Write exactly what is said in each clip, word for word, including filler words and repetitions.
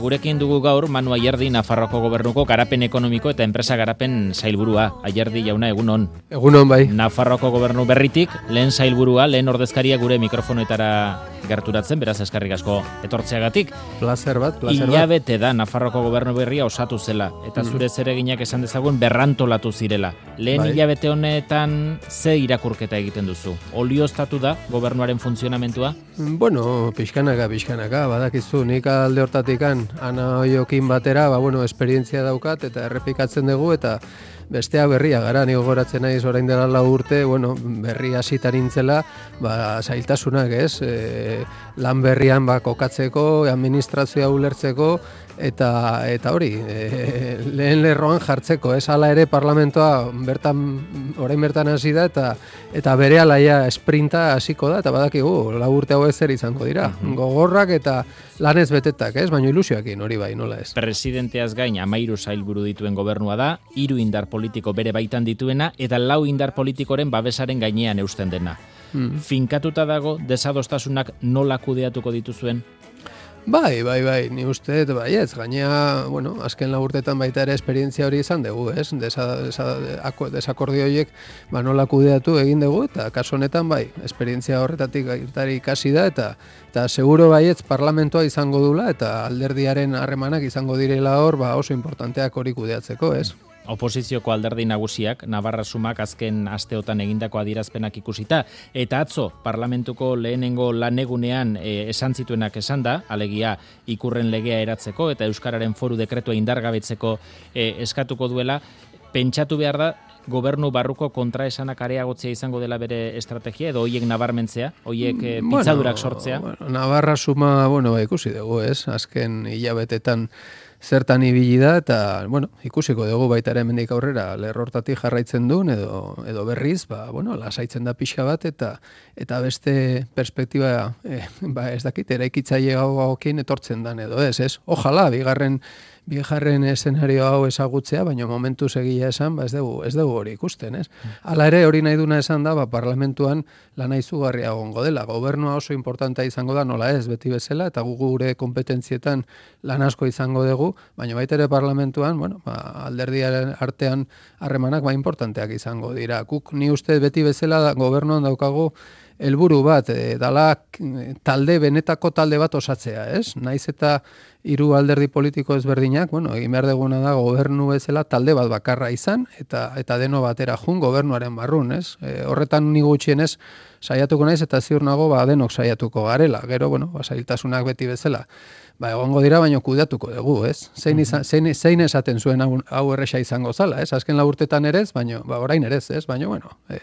Gurekin dugu gaur Manu Ayerdi, Nafarroako Gobernuko garapen ekonomiko eta enpresa garapen sailburua. Ayerdi jauna, egunon. Egunon bai. Nafarroako Gobernu berritik, lehen sailburua, lehen ordezkaria gure mikrofonoetara gerturatzen, beraz eskerrik asko etortzeagatik. Placer bat, placer bat. Ilabete da Nafarroako Gobernu berria osatu zela, eta zure zereginak esan dezagun berrantolatu zirela. Lehen bai. Ilabete honetan ze irakurketa egiten duzu? Olioztatu da gobernuaren funtzionamentua? Bueno, pixkanaka, pixkanaka, badakizu, nik alde hortatikan Ana Oiokin batera, ba, bueno, esperientzia daukat eta errepikatzen dugu eta bestea berria gara, ni gogoratzen naiz orain dela lau urte, bueno, berri hasitan nintzela, ba, zailtasunak, ez? E, lan berrian ba, kokatzeko, administrazioa ulertzeko, eta eta hori, e, lehen lerroan jartzeko, ez? Hala ere parlamentoa bertan, orain bertan hasi da, eta eta berehala ja esprinta hasiko da, eta badakigu, lau urte hau zer izango dira. Uh-huh. Gogorrak eta lanez betetak, ez? Baina ilusioekin hori bai, nola ez? Presidenteaz gain hamairu sailburu dituen gobernua da, hiru indar politiko bere baitan dituena, eta lau indar politikoren babesaren gainean eusten dena. Hmm. Finkatuta dago, desadostasunak nola kudeatuko dituzuen? Bai, bai, bai, ni uste, bai, ez, gainea, bueno, azken lau urtetan baita ere esperientzia hori izan dugu, ez? Desa, desa, desakordio horiek, ba, nola kudeatu egin dugu, eta kasu honetan, bai, esperientzia horretatik irtari ikasi da, eta eta seguro baietz parlamentoa izango dula, eta alderdiaren harremanak izango direla hor, ba, oso importanteak hori kudeatzeko, ez? Oposizioko alderdi nagusiak Navarra Sumak azken asteotan egindako adierazpenak ikusita, eta atzo parlamentuko lehenengo lanegunean e, esan zituenak esan da, alegia ikurren legea eratzeko eta Euskararen foru dekretua indargabetzeko e, eskatuko duela, pentsatu behar da, gobernu barruko kontraesanak areagotzea izango dela bere estrategia, edo hoiek nabarmentzea, hoiek e, pitzadurak sortzea? Bueno, bueno, Navarra Suma, bueno, ikusi dugu, ez? Azken hilabetetan zertan ibili da, eta, bueno, ikusiko dugu baita ere hemendik aurrera lerrortatik jarraitzen duen, edo, edo berriz, ba, bueno, lasaitzen da pixka bat, eta eta beste perspektiba, eh, ba, ez dakit, eraikitzaile hauekin etortzen dan edo ez, ez? Ojalá, bigarren, bigarren eszenario hau ezagutzea, baina momentu egia esan, ba, ez dugu, ez dugu hori ikusten, ez? Hala ere, hori nahi duna esan da, ba, parlamentuan lana izugarria egongo dela. Gobernua oso importantea izango da, nola ez, beti bezala, eta gu gure kompetentzietan lan asko izango dugu, baina baita ere parlamentuan, bueno, ba, alderdiaren artean harremanak ba importanteak izango dira. Guk ni uste beti bezala gobernuan daukagu helburu bat, e, dala talde, benetako talde bat osatzea, ez? Naiz eta hiru alderdi politiko ezberdinak, bueno, egin behar duguna da gobernu bezala talde bat bakarra izan, eta eta deno batera jun gobernuaren barrun, ez? E, horretan ni gutxienez saiatuko naiz, eta ziur nago ba, denok saiatuko garela. Gero, bueno, ba, zailtasunak beti bezala. Ba, egongo dira, baino kudeatuko dugu, ez? Zein, izan, zein, zein esaten zuen hau, hau erresa izango zala, ez? Azken laburtetan ere ez, baino, ba, orain ere ez, baino, bueno, e,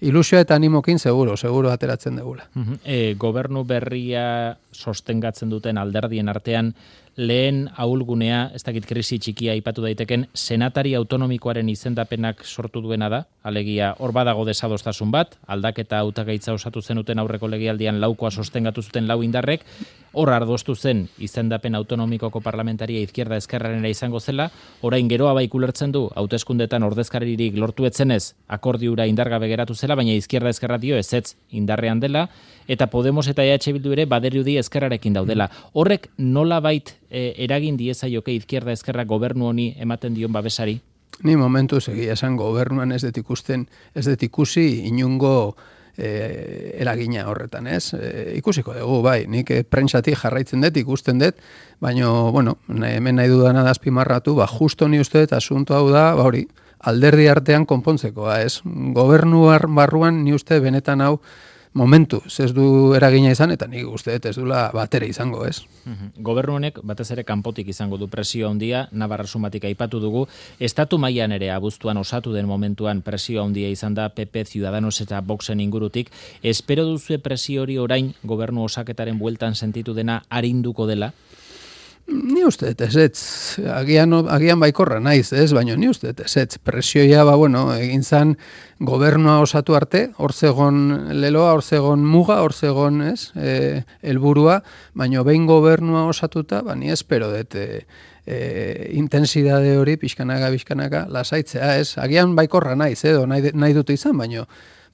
ilusioa eta animokin seguro, seguro ateratzen dugula. Uh-huh. E, gobernu berria sostengatzen duten alderdien artean, lehen ahulgunea, ez dakit krisi txikia aipatu daiteken, senatari autonomikoaren izendapenak sortu duena da, alegia hor badago desadostasun bat, aldaketa hautagaitza osatu zenuten aurreko legealdian laukoa sostengatu zuten lau indarrek, hor ardostu zen izendapen autonomikoko parlamentaria izquierda ezkerrarena izango zela, orain geroa baik ulertzen du, hauteskundetan ordezkaririk lortu etzenez, akordiura indargabe geratu zela, baina izquierda ezkerra dio ezetz indarrean dela, eta Podemos eta E H Bildu ere badirudi ezkerrarekin daudela. Horrek nolabait e, eragin diezaioke izquierda ezkerra gobernu honi ematen dion babesari? Ni momentu egia esan gobernuan ez dut ikusten, ez dut ikusi inungo e, eragina horretan, ez? E, ikusiko dugu, bai, nik e, prentsatik jarraitzen dut, ikusten dut, baina, bueno, hemen nahi dudana da azpimarratu, ba, justo ni uste dut asunto hau da, ba hori, alderdi artean konpontzekoa, ez? Gobernu barruan ni uste benetan hau momentu, ez du eragina izan, eta nik uste dut ez dula batere izango, ez? Uhum. Gobernu honek batez ere kanpotik izango du presio handia, Navarra Sumatik aipatu dugu, estatu mailan ere abuztuan osatu den momentuan presio handia izan da P P, Ciudadanos eta Voxen ingurutik. Espero duzue presio hori orain gobernu osaketaren bueltan sentitu dena arinduko dela? Ni uste dut ezetz, agian, agian baikorra naiz, ez, baina ni uste dut ezetz, presioia, ba, bueno, egin zan gobernua osatu arte, hor zegon leloa, hor zegon muga, hor zegon, ez, e, helburua, baina behin gobernua osatuta, ba, ni espero dut, e, e, intensidade hori pixkanaka, pixkanaka, lasaitzea, ez? Agian baikorra naiz, edo nahi, nahi dute izan, baino,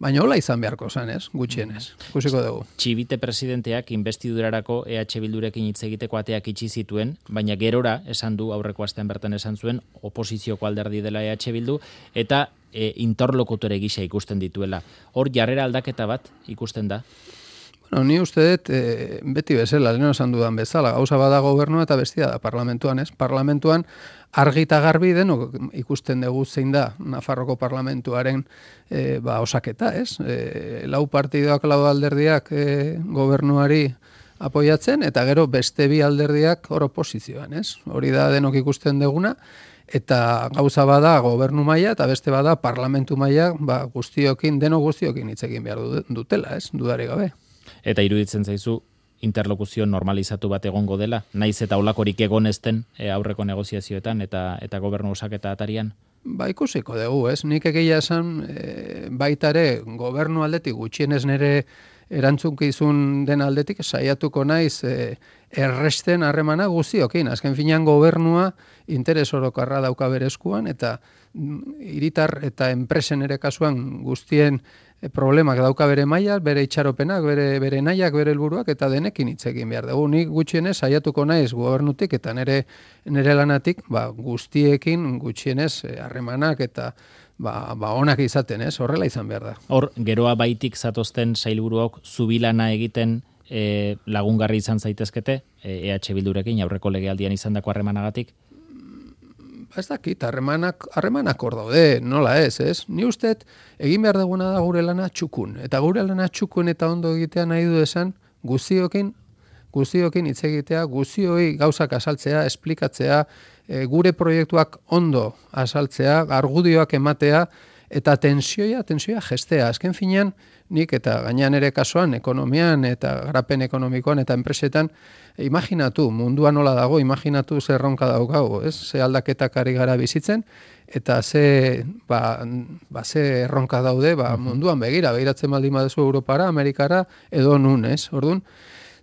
baina hola izan beharko zen, ez? Gutxienez. Ikusiko dugu. Txibite presidenteak investidurarako E H Bildurekin hitz egiteko ateak itxi zituen, baina gerora esan du aurreko astean bertan esan zuen oposizioko alderdi dela E H Bildu eta e, interlokutore gisa ikusten dituela. Hor jarrera aldaketa bat ikusten da. Bueno, ni uste dut, e, beti bezala, lehen esan dudan bezala, gauza bada gobernua eta bestia da parlamentuan, ez? Parlamentuan argi eta garbi denok ikusten dugu zein da Nafarroko parlamentuaren e, ba, osaketa, ez? E, lau partidoak, lau alderdiak e, gobernuari apoiatzen, eta gero beste bi alderdiak hor oposizioan, ez? Hori da denok ikusten duguna, eta gauza bada gobernu maila eta beste bada parlamentu maila ba, guztiokin, denok guztiokin hitz egin behar dutela, ez? Dudari gabe. Eta iruditzen zaizu interlokuzio normalizatu bat egongo dela, naiz eta olakorik egon ezten e, aurreko negoziazioetan eta eta gobernu osaketa atarian? Ba, ikusiko dugu, ez? Nik egia esan e, baitare gobernu aldetik gutxienez nere erantzunkizun den aldetik saiatuko naiz e, erresten harremana guztiokin. Azken finean gobernua interes orokarra dauka bere eskuan eta hiritar eta enpresen ere kasuan guztien e, problemak dauka bere maila, bere itxaropenak, bere, bere nahiak, bere helburuak eta denekin hitz egin behar dugu. Nik gutxienez saiatuko naiz gobernutik eta nere, nere lanatik ba, guztiekin gutxienez harremanak eta Ba, ba onak izaten, ez? Horrela izan behar da. Hor, geroa baitik zatozten sailburuok zubilana egiten e, lagungarri izan zaitezkete, e, EH Bildurekin aurreko legealdian izandako harremanagatik? Ba ez dakit, harremanak, harremanak hor daude, nola ez, ez? Ni usteet, egin behar duguna da gure lana txukun. Eta gure lana txukun eta ondo egitea nahi du esan, guztiokin, guztiokin hitz egitea, guztioi gauzak azaltzea, esplikatzea, e, gure proiektuak ondo azaltzea, argudioak ematea, eta tensioia, tensioia gestea. Azken finean, nik eta gainean ere kasuan, ekonomian eta garapen ekonomikoan eta enpresetan, e, imaginatu, mundua nola dago, imaginatu ze erronka daukago, ez? Ze aldaketak ari gara bizitzen, eta ze, ba, ba, ze erronka daude ba, munduan begira, behiratzen baldin baduzu Europara, Amerikara, edo nun, ez? Orduan,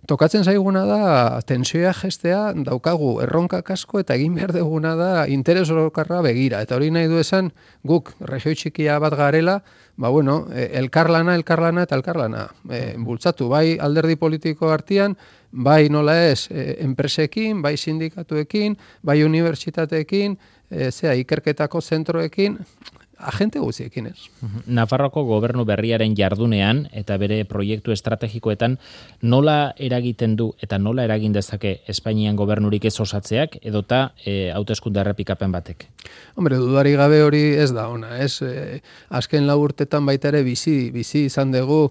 tokatzen zaiguna da tensioa gestea, daukagu erronka asko eta egin behar duguna da interes orokarra begira. Eta hori nahi du esan guk regioi txikia bat garela, ba bueno, elkarlana, elkarlana eta elkarlana e, bultzatu. Bai alderdi politiko artean, bai nola ez enpresekin, bai sindikatuekin, bai unibertsitateekin, e, zea ikerketako zentroekin, agente guztiekin ez. Nafarroko gobernu berriaren jardunean eta bere proiektu estrategikoetan nola eragiten du eta nola eragin dezake Espainian gobernurik ez osatzeak edota e, hauteskunde errepikapen batek? Hombre, dudari gabe hori ez da ona, ez? E, azken lau urtetan baita ere bizi, bizi izan dugu,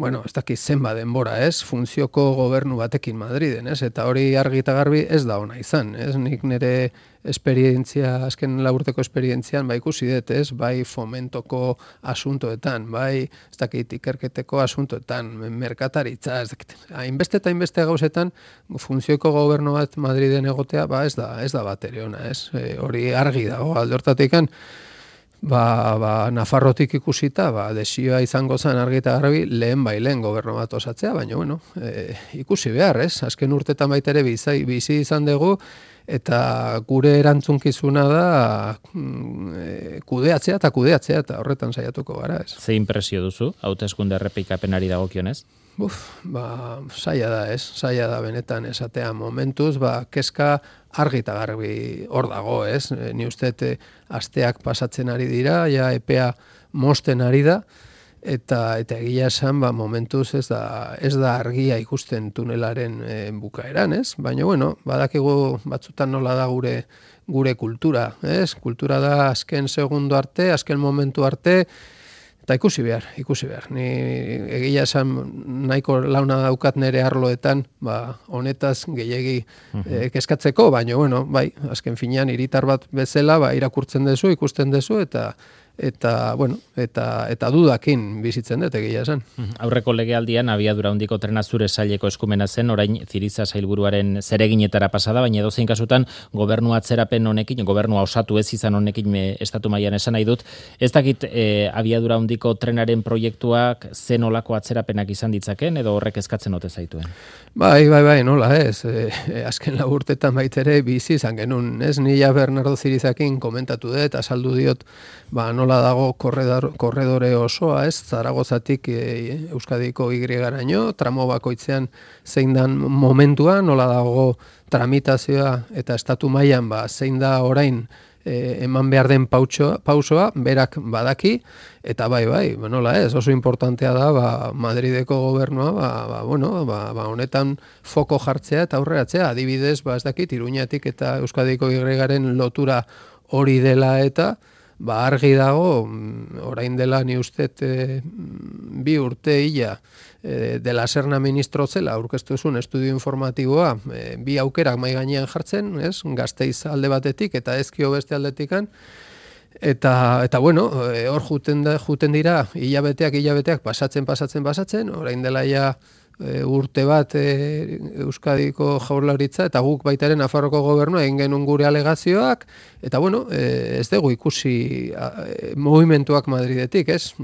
bueno, ez dakit zenba denbora, ez? Funtzioko gobernu batekin Madriden, ez? Eta hori argi eta garbi ez da ona izan, ez? Nik nire esperientzia, azken laburteko esperientzian, bai ikusi dut, ez? Bai fomentoko asuntoetan, bai ez dakit ikerketeko asuntoetan, merkataritza, ez dakit. Hainbeste eta hainbeste gauzetan, funtzioko gobernu bat Madriden egotea, ba ez da, ez da bat ere ona, ez? E, hori argi dago, alde hortatikan, Ba, ba, Nafarrotik ikusita, ba, desioa izango zen argi eta garbi lehen bai lehen gobernu bat osatzea, baina bueno, e, ikusi behar, ez? Azken urtetan baita ere bizi, bizi izan dugu, eta gure erantzunkizuna da e, kudeatzea eta kudeatzea, eta horretan saiatuko gara, ez? Ze impresio duzu, hauteskunde errepikapenari dagokionez? Uf, ba, saia da, ez? Saia da benetan esatea momentuz, ba, kezka argi eta garbi hor dago, ez? Ni usteet asteak pasatzen ari dira, ja epea mosten ari da, eta eta egia esan, ba, momentuz ez da, ez da argia ikusten tunelaren e, bukaeran, ez? Baina, bueno, badakigu batzutan nola da gure gure kultura, ez? Kultura da azken segundo arte, azken momentu arte, eta ikusi behar, ikusi behar. Ni egia esan nahiko launa daukat nere arloetan, ba, honetaz gehiegi e, kezkatzeko, baina, bueno, bai, azken finean hiritar bat bezala, ba, irakurtzen duzu, ikusten duzu, eta eta, bueno, eta, eta dudakin bizitzen dut egia esan. Aurreko legealdian abiadura handiko trena zure saileko eskumena zen, orain Ziriza sailburuaren zereginetara pasada, baina edozein kasutan gobernu atzerapen honekin, gobernua osatu ez izan honekin me, estatu mailan esan nahi dut, ez dakit e, abiadura handiko trenaren proiektuak zen olako atzerapenak izan ditzaken, edo horrek eskatzen ote zaituen? Bai, bai, bai, nola ez, e, e, azken lau urtetan baitere bizi izan genuen, ez, nila Bernardo Zirizakin komentatu dut, azaldu diot, ba, nola dago korredor, korredore osoa, ez, Zaragozatik e, Euskadiko Y-garaino, tramo bakoitzean zein dan momentua, nola dago tramitazioa eta estatu mailan ba, zein da orain e, eman behar den pautxoa, pausoa, berak badaki, eta bai, bai, nola ez, oso importantea da ba, Madrideko gobernua, ba, ba, bueno, ba, ba, honetan foko jartzea eta aurreratzea, adibidez, ba, ez dakit, Iruñatik eta Euskadiko Y-garen lotura hori dela eta, ba, argi dago, orain dela ni ustet e, bi urte hila e, de la Serna ministro zela, aurkeztu zuen estudio informatiboa, e, bi aukerak mai gainean jartzen, ez? Gasteiz alde batetik eta Ezkio beste aldetikan, eta, eta bueno, e, hor juten, da, juten dira, hilabeteak, hilabeteak, pasatzen, pasatzen, pasatzen, orain dela ja E, urte bat e, Euskadiko Jaurlaritza eta guk baitaren Nafarroko gobernua egin genuen gure alegazioak eta bueno, e, ez dugu ikusi a, e, movimentuak Madridetik, ez?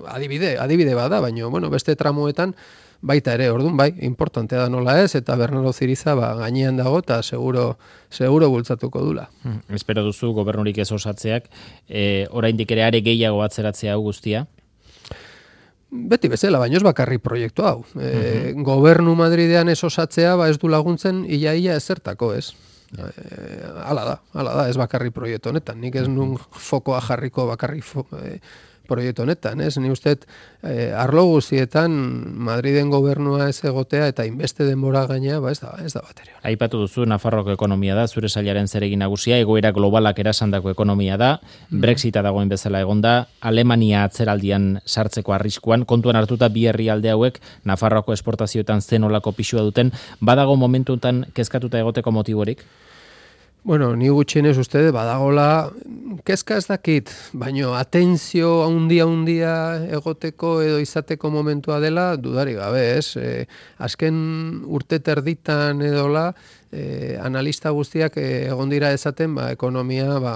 Adibide, adibide bada, baina bueno, beste tramoetan baita ere, orduan bai, importantea da nola ez, eta Bernardo Ziriza ba, gainean dago eta seguro, seguro bultzatuko dula. Hmm, espero duzu gobernurik ez osatzeak, e, oraindik ere are gehiago atzeratzea hau guztia? Beti bezala, baino ez bakarri proiektu hau. E, uh-huh. Gobernu Madridean ez osatzea, ba ez du laguntzen ia-ia ezertako, ez? E, hala da, hala da, ez bakarri proiektu honetan. Nik ez nun fokoa jarriko bakarri fo, e, proiektu honetan, ez? Ni usteet, e, arlo guztietan Madriden gobernua ez egotea eta inbeste denbora gainea, ba ez da, ez da baterio. Aipatu duzu, Nafarroko ekonomia da, zure sailaren zeregin nagusia, egoera globalak erasandako ekonomia da, Brexita dagoen bezala egonda, Alemania atzeraldian sartzeko arriskuan, kontuan hartuta bi herrialde hauek Nafarroko esportazioetan zen olako pisua duten, badago momentutan kezkatuta egoteko motiborik? Bueno, ni gutxienez uste badagola, kezka ez dakit, baino atentzio handia handia egoteko edo izateko momentua dela, dudari gabe, ez? E, azken urte terditan edola, e, analista guztiak e, egon dira esaten, ba, ekonomia ba,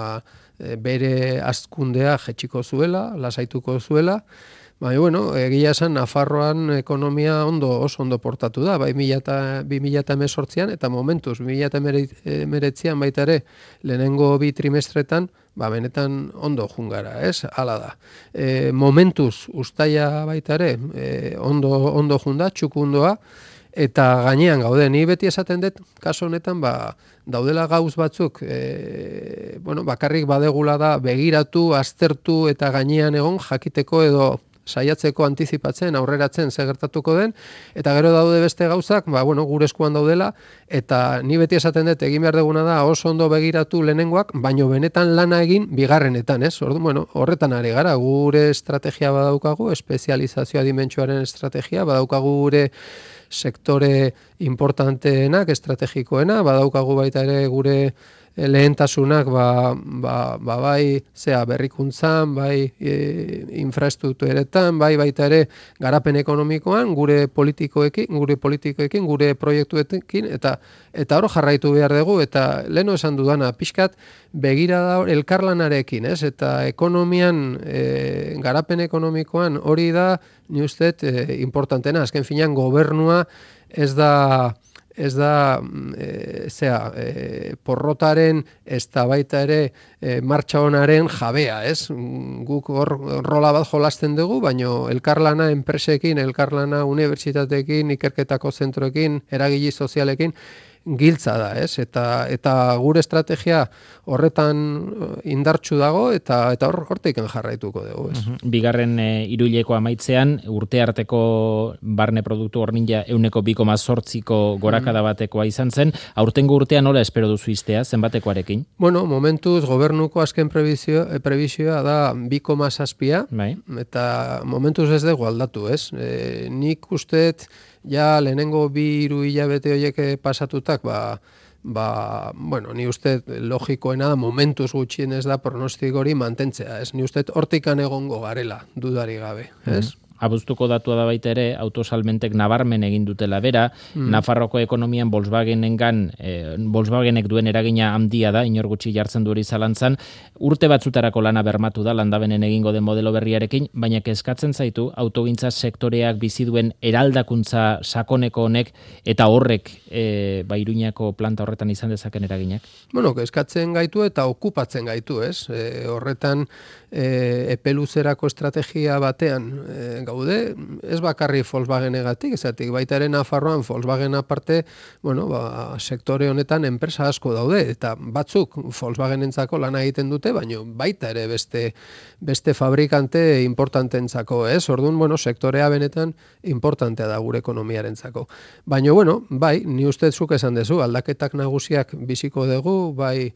e, bere hazkundea jetxiko zuela, lasaituko zuela, Bai, bueno, egia esan Nafarroan ekonomia ondo oso ondo portatu da, bai bi mila hemezortzian eta momentuz bi mila hemeretzian baita ere lehenengo bi trimestretan, ba benetan ondo jungara, ez? Hala da. E, momentuz ustaia baita ere e, ondo ondo junda, txukundoa eta gainean gaude. Ni beti esaten dut kaso honetan ba daudela gauz batzuk, e, bueno, bakarrik badegula da begiratu, aztertu eta gainean egon jakiteko edo saiatzeko antizipatzen, aurreratzen ze gertatuko den, eta gero daude beste gauzak, ba, bueno, gure eskuan daudela, eta ni beti esaten dut, egin behar duguna da, oso ondo begiratu lehenengoak, baino benetan lana egin bigarrenetan, ez? Ordu, bueno, horretan ari gara, gure estrategia badaukagu, espezializazioa dimentsuaren estrategia, badaukagu gure sektore importanteenak, estrategikoena, badaukagu baita ere gure lehentasunak ba, ba, ba bai zea berrikuntzan, bai e, infrastrukturetan, bai baita ere garapen ekonomikoan, gure politikoekin, gure politikoekin, gure proiektuekin eta eta hor jarraitu behar dugu eta leno esan dudana pixkat begirada elkarlanarekin, ez? Eta ekonomian e, garapen ekonomikoan hori da ni uste e, importantena, azken finean gobernua ez da ez da e, zea, e, porrotaren ez da baita ere e, martxa honaren jabea, ez? Guk hor rola bat jolasten dugu, baino elkarlana enpresekin, elkarlana unibertsitateekin, ikerketako zentroekin, eragile sozialekin, giltza da, ez? Eta eta gure estrategia horretan indartsu dago eta eta hor hortik jarraituko dugu, ez? Uh-huh. Bigarren e, hiruileko amaitzean urte arteko barne produktu hornila ehuneko bi koma zortziko gorakada batekoa izan zen. Aurtengo urtean nola espero duzu iztea, zenbatekoarekin? Bueno, momentuz gobernuko azken prebizio, prebizioa da bi koma zazpia, bai. Eta momentuz ez dugu aldatu, ez? E, nik usteet ja lehenengo bi hiru hilabete horiek pasatutak, ba, ba, bueno, ni uste logikoena da momentuz gutxienez da pronostiko hori mantentzea, ez? Ni uste hortikan egongo garela, dudari gabe, ez? Mm. Abuztuko datua da baita ere, autosalmentek nabarmen egin dutela bera, mm. Nafarroko ekonomian Volkswagenengan, eh, Volkswagenek duen eragina handia da, inor gutxi jartzen du hori zalantzan, urte batzutarako lana bermatu da, landabenen egingo den modelo berriarekin, baina kezkatzen zaitu, autogintza sektoreak bizi duen eraldakuntza sakoneko honek, eta horrek e, ba, Iruñako planta horretan izan dezaken eraginak? Bueno, kezkatzen gaitu eta okupatzen gaitu, ez? E, horretan, e, epeluzerako estrategia batean e, gaude, ez bakarri Volkswagenegatik, ezatik baita ere Nafarroan Volkswagen aparte, bueno, ba, sektore honetan enpresa asko daude, eta batzuk Volkswagenentzako lana egiten dute, baina baita ere beste beste fabrikante importantentzako, ez? Orduan, bueno, sektorea benetan importantea da gure ekonomiarentzako. Baina, bueno, bai, ni uste zuk esan dezu, aldaketak nagusiak biziko dugu, bai,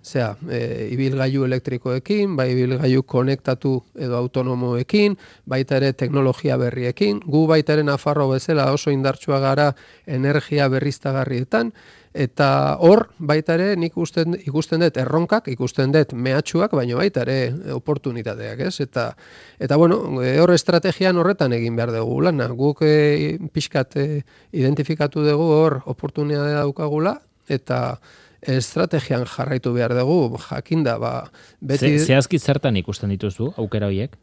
zera, e, ibilgailu elektrikoekin, bai ibilgailu konektatu edo autonomoekin, baita ere teknologia berriekin, gu baita ere Nafarro bezala oso indartsua gara energia berriztagarrietan, eta hor baita ere nik ikusten, ikusten dut erronkak, ikusten dut mehatxuak, baina baita ere oportunitateak, ez? Eta, eta bueno, hor estrategian horretan egin behar dugu lana, guk e, pixkat e, identifikatu dugu hor oportunitatea daukagula, eta estrategian jarraitu behar dugu, jakinda, ba, beti... Ze, zehazki zertan ikusten dituzu, aukera horiek?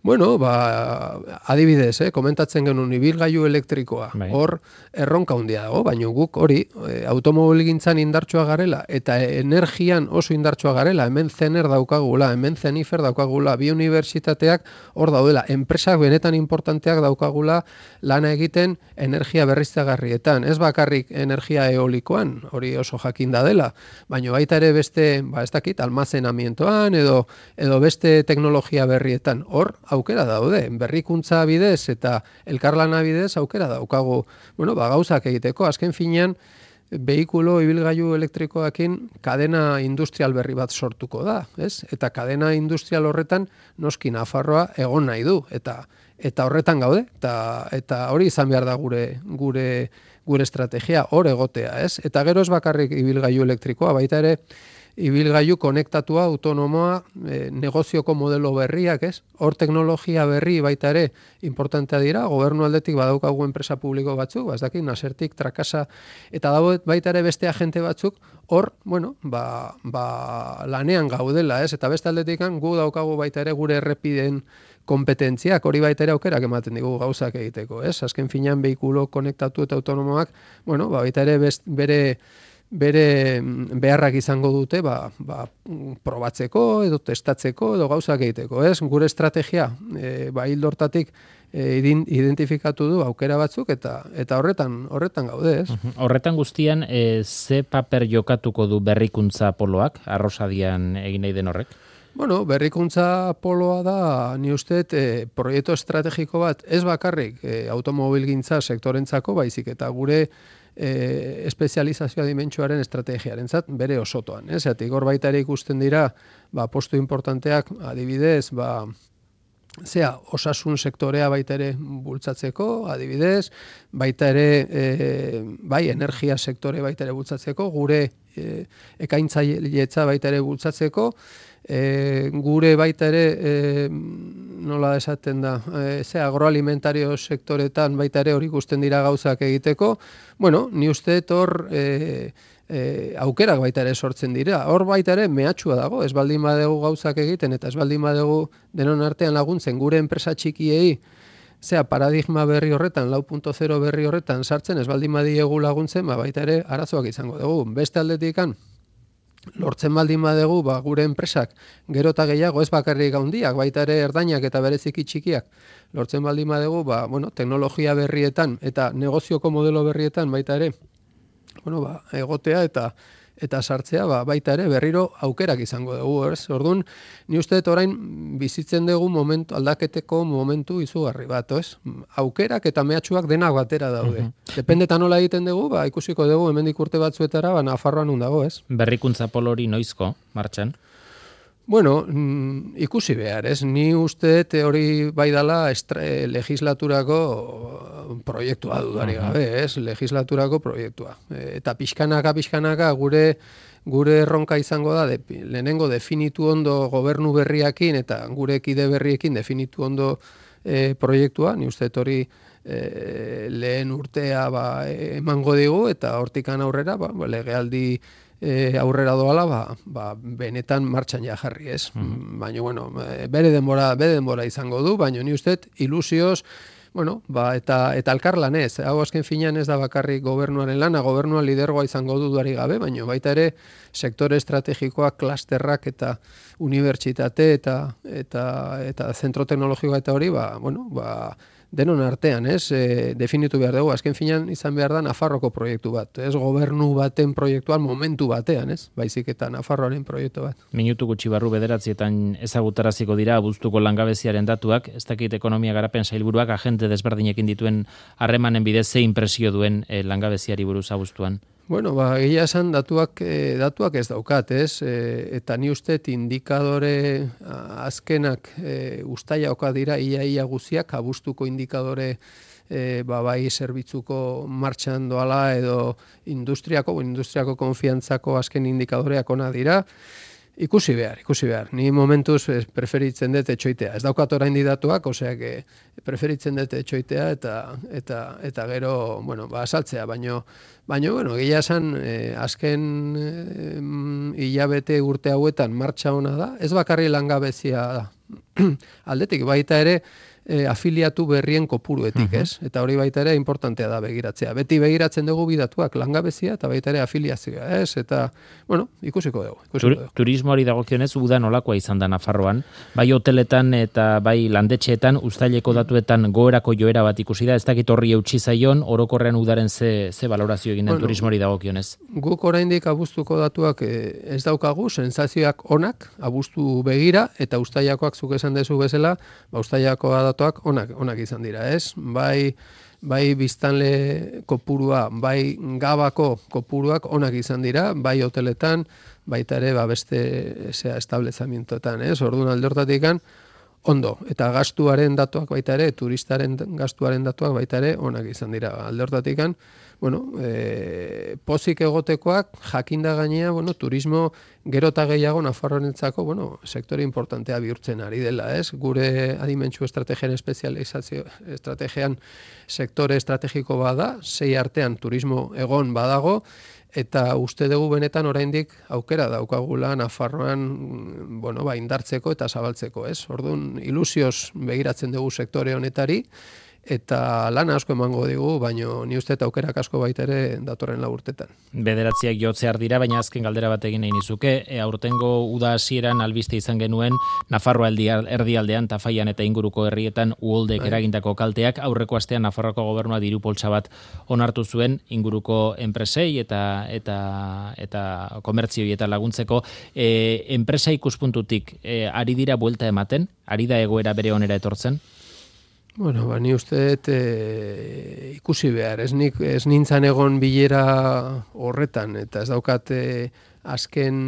Bueno, ba, adibidez, eh, komentatzen genuen ibilgailu elektrikoa, bai. Hor erronka handia dago, baina guk hori e, automobilgintzan indartsua garela eta energian oso indartsua garela, hemen zener daukagula, hemen zenifer daukagula, bi unibertsitateak hor daudela, enpresak benetan importanteak daukagula lana egiten energia berriztagarrietan, ez bakarrik energia eolikoan, hori oso jakinda dela, baina baita ere beste, ba ez dakit, almazenamientoan edo edo beste teknologia berrietan, hor aukera daude, berrikuntza bidez eta elkarlana bidez aukera daukagu, bueno, ba, gauzak egiteko, azken finean, behikulo ibilgailu elektrikoekin kadena industrial berri bat sortuko da, ez? Eta kadena industrial horretan noski Nafarroa egon nahi du, eta eta horretan gaude, eta eta hori izan behar da gure gure gure estrategia, hor egotea, ez? Eta gero ez bakarrik ibilgailu elektrikoa, baita ere ibilgailu konektatua, autonomoa, e, negozioko modelo berriak, ez? Hor teknologia berri baita ere importantea dira, gobernu aldetik badaukagu enpresa publiko batzuk, ez dakit, Nasertik, Trakasa, eta dago baita ere beste agente batzuk, hor, bueno, ba, ba, lanean gaudela, ez? Eta beste aldetik gu daukagu baita ere gure errepiden kompetentziak, hori baita ere aukerak ematen digu gauzak egiteko, ez? Azken finean behikulo konektatu eta autonomoak, bueno, ba, baita ere best, bere bere beharrak izango dute ba, ba, probatzeko edo testatzeko edo gauzak egiteko, ez? Gure estrategia e, ba, hildo hortatik e, identifikatu du aukera batzuk eta eta horretan horretan gaude, ez? Horretan guztian e, ze paper jokatuko du berrikuntza poloak, Arrosadian egin nahi den horrek? Bueno, berrikuntza poloa da, ni uste, e, proiektu estrategiko bat, ez bakarrik e, automobilgintza sektorentzako, baizik eta gure E, espezializazioa dimentsuaren estrategiarentzat bere osotoan. Ez? Zatik, hor baita ere ikusten dira ba, postu importanteak, adibidez, ba, zea, osasun sektorea baita ere bultzatzeko, adibidez, baita ere, e, bai, energia sektore baita ere bultzatzeko, gure e, ekaintzailetza baita ere bultzatzeko, E, gure baita ere, e, nola esaten da, e, ze agroalimentario sektoretan baita ere hori ikusten dira gauzak egiteko, bueno, ni uste hor e, e, aukerak baita ere sortzen dira. Hor baita ere mehatxua dago, ez baldin badegu gauzak egiten eta ez baldin badegu denon artean laguntzen gure enpresa txikiei, zea paradigma berri horretan, lau puntu zero berri horretan sartzen, ez baldin badiegu laguntzen, ba, baita ere arazoak izango dugu. Beste aldetikan, lortzen baldin badegu, ba, gure enpresak gero eta gehiago, ez bakarrik handiak, baita ere erdainak eta bereziki txikiak, lortzen baldin badegu, ba, bueno, teknologia berrietan eta negozioko modelo berrietan baita ere, bueno, ba, egotea eta eta sartzea, ba, baita ere berriro aukerak izango dugu, ez? Orduan, ni uste dut orain bizitzen dugu momentu, aldaketeko momentu izugarri bat, ez? Aukerak eta mehatxuak denak batera daude. Uh-huh. Dependeta nola egiten dugu, ba, ikusiko dugu hemendik urte batzuetara, ba, Nafarroan nun dago, ez? Berrikuntza polori noizko, martxan? Bueno, mm, ikusi behar, ez? Ni uste hori bai dala estra, legislaturako proiektua dudari gabe, ez? Legislaturako proiektua. Eta pixkanaka, pixkanaka gure gure erronka izango da, de, lehenengo definitu ondo gobernu berriakin eta gure kide berriekin definitu ondo e, proiektua, ni uste hori e, lehen urtea ba, emango digu eta hortikan aurrera ba, legealdi E, aurrera doala, ba, ba, benetan martxan ja jarri, ez? Mm. Baina, bueno, bere denbora, bere denbora izango du, baina ni uste ilusioz, bueno, ba, eta, eta elkarlanez, hau azken finean ez da bakarrik gobernuaren lana, gobernuan lidergoa izango du duari gabe, baina baita ere sektore estrategikoak, klasterrak eta unibertsitate eta, eta, eta zentro teknologikoa eta hori, ba, bueno, ba, denon artean, ez, e, definitu behar dugu, azken finean izan behar da Nafarroko proiektu bat, ez, gobernu baten proiektuan momentu batean, ez, baizik eta Nafarroaren proiektu bat. Minutu gutxi barru bederatzietan ezagutaraziko dira abuztuko langabeziaren datuak, ez dakit ekonomia garapen sailburuak agente desberdinekin dituen harremanen bidez ze inpresio duen e, langabeziari buruz abuztuan. Bueno, ba, egia esan datuak, e, datuak ez daukat, ez? E, eta ni uste indikadore azkenak e, ustaiaoka dira ia ia guziak, abuztuko indikadore e, ba, bai zerbitzuko martxan doala edo industriako, industriako konfiantzako azken indikadoreak ona dira. Ikusi behar, ikusi behar. Ni momentuz preferitzen dut etxoitea. Ez daukat oraindik datuak, oseak preferitzen dut etxoitea eta eta eta gero, bueno, ba saltzea, baino baino bueno, egia esan eh, azken eh, hilabete urte hauetan martxa ona da. Ez bakarri langabezia da. Aldetik baita ere E, afiliatu berrien kopuruetik, ez? Eta hori baita ere importantea da begiratzea. Beti begiratzen dugu bidatuak langabezia eta baita ere afiliazioa, ez? Eta, bueno, ikusiko dugu. Ikusiko dugu. Turismoari dagokionez uda nolakoa izan da Nafarroan, bai hoteletan eta bai landetxeetan uztaileko datuetan goerako joera bat ikusi da, ez dakit horri eutsi zaion, orokorrean udaren ze, ze valorazio egin den bueno, turismoari dagokionez. Guk oraindik abuztuko datuak e, ez daukagu, sensazioak onak, abuztu begira, eta uztailakoak zuk esan dezu bezala, ba uztailakoa datuak onak, onak izan dira, ez? Bai, bai biztanle kopurua, bai gabako kopuruak onak izan dira, bai hoteletan, baita ere ba beste zea establezamientoetan, ez? Orduan alde hortatikan ondo, eta gastuaren datuak baita ere, turistaren gastuaren datuak baita ere onak izan dira. Alde hortatikan, bueno, e, pozik egotekoak jakinda gainea, bueno, turismo gero eta gehiago Nafarroarentzako, bueno, sektore importantea bihurtzen ari dela, ez? Gure adimentsu estrategian espezializazio estrategian sektore estrategiko bada, sei artean turismo egon badago, eta uste dugu benetan oraindik aukera daukagula Nafarroan, bueno, ba, indartzeko eta zabaltzeko, ez? Orduan, ilusioz begiratzen dugu sektore honetari, eta lan asko emango digu, baino ni uste eta aukerak asko baita ere datorren lau urtetan. Bederatziak jotzear dira, baina azken galdera bat egin nahi nizuke, e, aurtengo uda hasieran albiste izan genuen Nafarroa erdialdean, Tafaian eta inguruko herrietan uholdek eragindako kalteak, aurreko astean Nafarroako gobernua diru poltsa bat onartu zuen inguruko enpresei eta eta eta komertzioi eta laguntzeko. E, enpresa ikuspuntutik e, ari dira buelta ematen, ari da egoera bere onera etortzen? Bueno, ba, ni uste dut e, ikusi behar, ez, nik, ez nintzan egon bilera horretan, eta ez daukat e, azken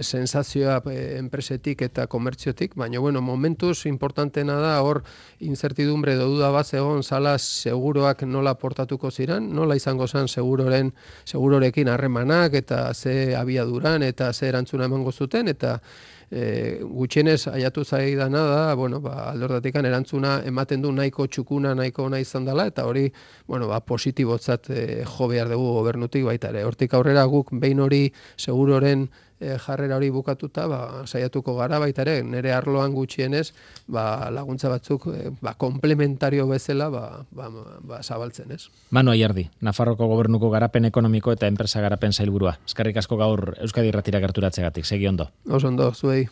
sensazioa e, enpresetik eta komertziotik, baina, bueno, momentuz importantena da, hor incertidumbre duda bat egon zala seguroak nola portatuko ziren, nola izango zen seguroren, segurorekin harremanak, eta ze abiaduran, eta ze erantzuna emango zuten, eta E, gutxienez aiatu zaidana da, bueno, ba, aldordatikan erantzuna ematen du nahiko txukuna, nahiko ona izan dela, eta hori, bueno, ba, positibotzat e, jo behar dugu gobernutik baita ere. Hortik aurrera guk behin hori seguroren e, jarrera hori bukatuta, ba, saiatuko gara baita ere, nire arloan gutxienez, ba, laguntza batzuk e, ba, komplementario bezala ba, ba, ba, zabaltzen, ez? Manu Ayerdi, Nafarroko gobernuko garapen ekonomiko eta enpresa garapen sailburua. Eskerrik asko gaur Euskadi Irratira gerturatzegatik, segi ondo. Oso ondo, zuei.